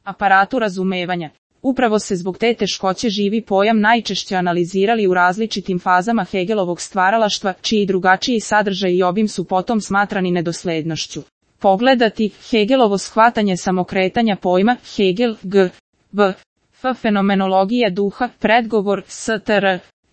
aparatu razumevanja. Upravo se zbog te teškoće živi pojam najčešće analizirali u različitim fazama Hegelovog stvaralaštva, čiji drugačiji sadržaj i obim su potom smatrani nedoslednošću. Pogledati Hegelovo shvatanje samokretanja pojma, Hegel, G. B. F. Fenomenologija duha, predgovor, STR.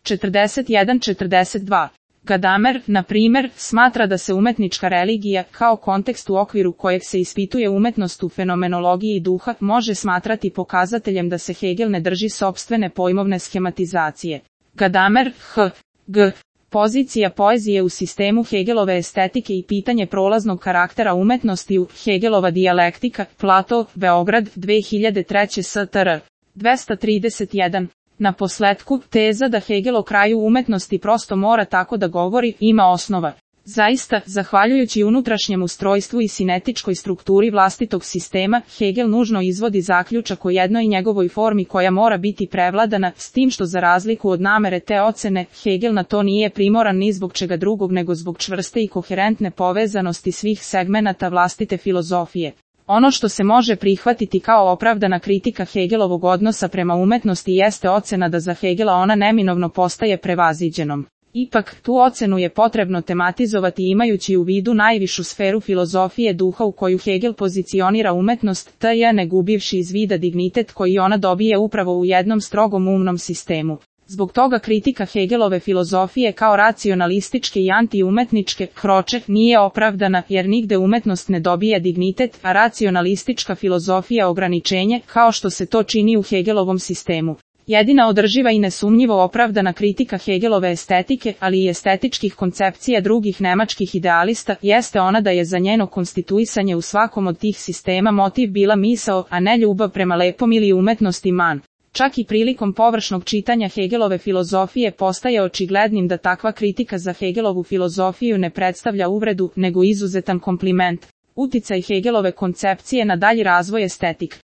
41-42. Gadamer, na primjer, smatra da se umetnička religija, kao kontekst u okviru kojeg se ispituje umetnost u fenomenologiji duha, može smatrati pokazateljem da se Hegel ne drži sopstvene pojmovne schematizacije. Gadamer, H. G. Pozicija poezije u sistemu Hegelove estetike i pitanje prolaznog karaktera umetnosti u Hegelova dijalektika, Plato, Beograd, 2003. STR. 231. Na posletku, teza da Hegel o kraju umetnosti prosto mora tako da govori, ima osnova. Zaista, zahvaljujući unutrašnjem ustrojstvu i sinetičkoj strukturi vlastitog sistema, Hegel nužno izvodi zaključak o jednoj njegovoj formi koja mora biti prevladana, s tim što za razliku od namere te ocene, Hegel na to nije primoran ni zbog čega drugog nego zbog čvrste i koherentne povezanosti svih segmenata vlastite filozofije. Ono što se može prihvatiti kao opravdana kritika Hegelovog odnosa prema umetnosti jeste ocena da za Hegela ona neminovno postaje prevaziđenom. Ipak, tu ocenu je potrebno tematizovati imajući u vidu najvišu sferu filozofije duha u koju Hegel pozicionira umetnost, t.j. ne gubivši iz vida dignitet koji ona dobije upravo u jednom strogom umnom sistemu. Zbog toga kritika Hegelove filozofije kao racionalističke i antiumetničke kroče nije opravdana jer nigde umetnost ne dobija dignitet, a racionalistička filozofija ograničenje, kao što se to čini u Hegelovom sistemu. Jedina održiva i nesumnjivo opravdana kritika Hegelove estetike, ali i estetičkih koncepcija drugih nemačkih idealista, jeste ona da je za njeno konstituisanje u svakom od tih sistema motiv bila misao, a ne ljubav prema lepom ili umetnosti man. Čak i prilikom površnog čitanja Hegelove filozofije postaje očiglednim da takva kritika za Hegelovu filozofiju ne predstavlja uvredu, nego izuzetan kompliment. Uticaj Hegelove koncepcije na dalji razvoj estetik.